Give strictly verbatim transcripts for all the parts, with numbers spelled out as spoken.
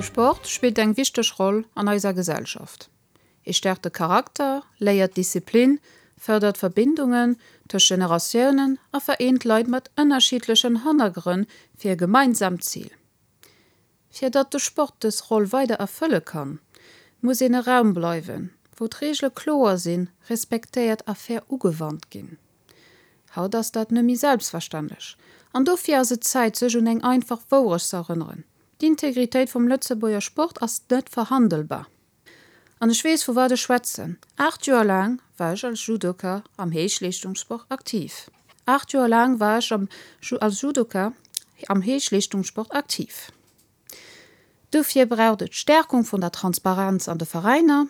Sport spillt eng wichteg Roll an eiser Gesellschaft. E stäerkt de Charakter, léiert Disziplin, fërdert Verbindungen tëscht Generatiounen a vereent Leit mat ënnerschiddlechen Hannergrënn fir e gemeinsaamt Zil. Fir datt de Sport dës Roll weider erfëlle kann, muss en e Raum bleiwen, wou d'Reegele kloer sinn, respektéiert a fair ugewannt ginn. Haut ass dat net méi selbstverständlech. An dofir ass et Zäit, sech un eng einfach Wourecht ze erënneren, D'Integritéit vum Lëtzebuerger Sport ass net verhandelbar. An ech weess, vu wat ech schwätzen. Aacht Joer laang war ech als Judoka am Héichleeschtungssport aktiv. Aacht Joer laang war ech am als Judoka am Héichleeschtungssport aktiv. Dofir braucht et d'Stärkung vun der Transparenz an de Veräiner,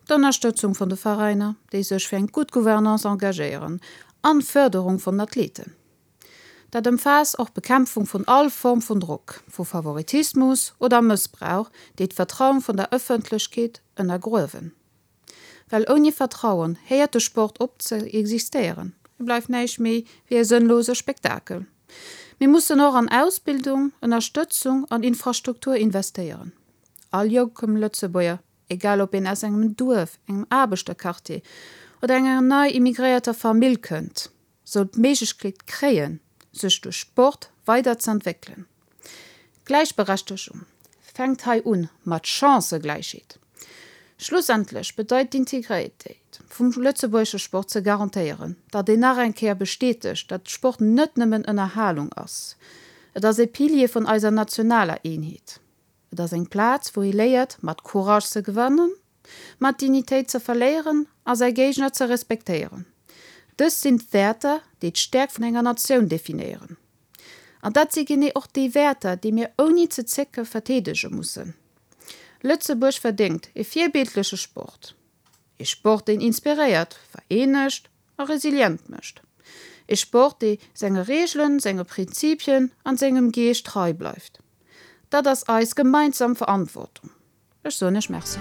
d'Ënnerstëtzung vun de Veräiner, déi sech fir eng gutt Gouvernance engagéieren, an d'Fërderung vun den Athleten. Dat ëmfaasst och d'Bekämpfung vun all Form vun Drock, vu Favoritismus oder Mëssbrauch, déi d'Vertrauen vun der Ëffentlechkeet ënnergruewen. Well ouni Vertrauen héiert de Sport op ze existéieren. E bleift näischt méi wéi e sënnlose Spektakel. Mir mussen och an Ausbildung, Ënnerstëtzung an Infrastruktur investéieren. All jonkem Lëtzebuerger, egal ob een aus engem Duerf, engem Aarbechterquartier oder enger nei immigréierter Famill kënnt, soll d'Méiglechkeet kréien, sech duerch Sport weider ze entwéckelen. Gläichberechtegung fänkt hei un mat Chancëgläichheet. Schlussendlech bedeit d'Integritéit vum lëtzebuergesche Sport ze garantéieren, datt een nach eng Kéier bestätegt, datt Sport net nëmmen Ënnerhalung ass. Et ass e Pilier vun eiser nationaler Eenheet. Et ass eng Plaz, wou ee léiert, mat Courage ze gewannen, mat Dignitéit ze verléieren a säi Géigner ze respektéieren. Dës sinn d'Wäerter, déi d'Stäerkt vun enger Natioun definéieren. An dat si genee och déi Wäerter, déi mir ouni ze zécke verdeedege mussen. Lëtzebuerg verdéngt e virbildleche Sport. E Sport, deen inspiréiert, vereenegt a resilient mécht. E Sport, dee senge Reegelen, senge Prinzipien an sengem Geescht trei bleift. Dat ass eis gemeinsam Verantwortung. Ech soen Iech Merci.